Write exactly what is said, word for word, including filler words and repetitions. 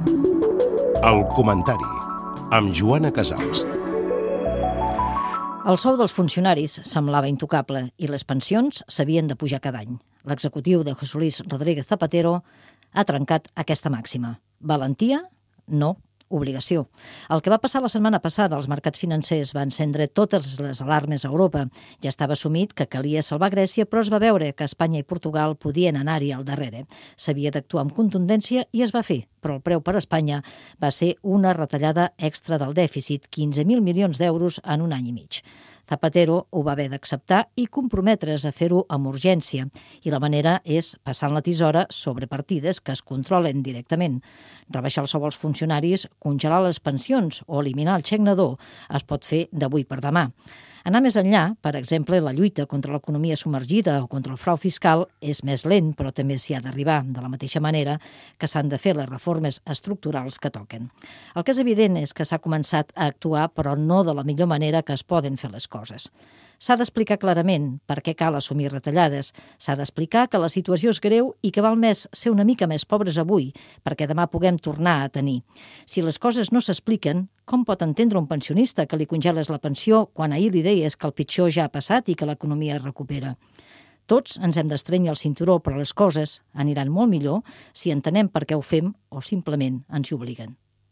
El comentari, amb Joana Casals. El sou dels funcionaris semblava intocable i les pensions s'havien de pujar cada any. L'executiu de José Luis Rodríguez Zapatero ha trencat aquesta màxima. Valentia? No. Obligació. El que va passar la setmana passada als mercats financers va encendre totes les alarmes a Europa. Ja estava assumit que calia salvar Grècia, però es va veure que Espanya i Portugal podien anar-hi al darrere. S'havia d'actuar amb contundència i es va fer, però el preu per a Espanya va ser una retallada extra del dèficit, quinze mil milions d'euros en un any i mig. Zapatero ho va haver d'acceptar i comprometre's a fer-ho amb urgència, i la manera és passant la tisora sobre partides que es controlen directament. Rebaixar el sou als funcionaris, congelar les pensions o eliminar el xec nadó es pot fer d'avui per demà. Anar més enllà, per exemple, la lluita contra l'economia submergida o contra el frau fiscal és més lent, però també s'hi ha d'arribar, de la mateixa manera que s'han de fer les reformes estructurals que toquen. El que és evident és que s'ha començat a actuar, però no de la millor manera que es poden fer les coses. S'ha d'explicar clarament per què cal assumir retallades, s'ha d'explicar que la situació és greu i que val més ser una mica més pobres avui perquè demà puguem tornar a tenir. Si les coses no s'expliquen, com pot entendre un pensionista que li congeles la pensió quan ahir li deies que el pitjor ja ha passat i que l'economia es recupera? Tots ens hem d'estrènyer el cinturó, però les coses aniran molt millor si entenem per què ho fem o simplement ens hi obliguen.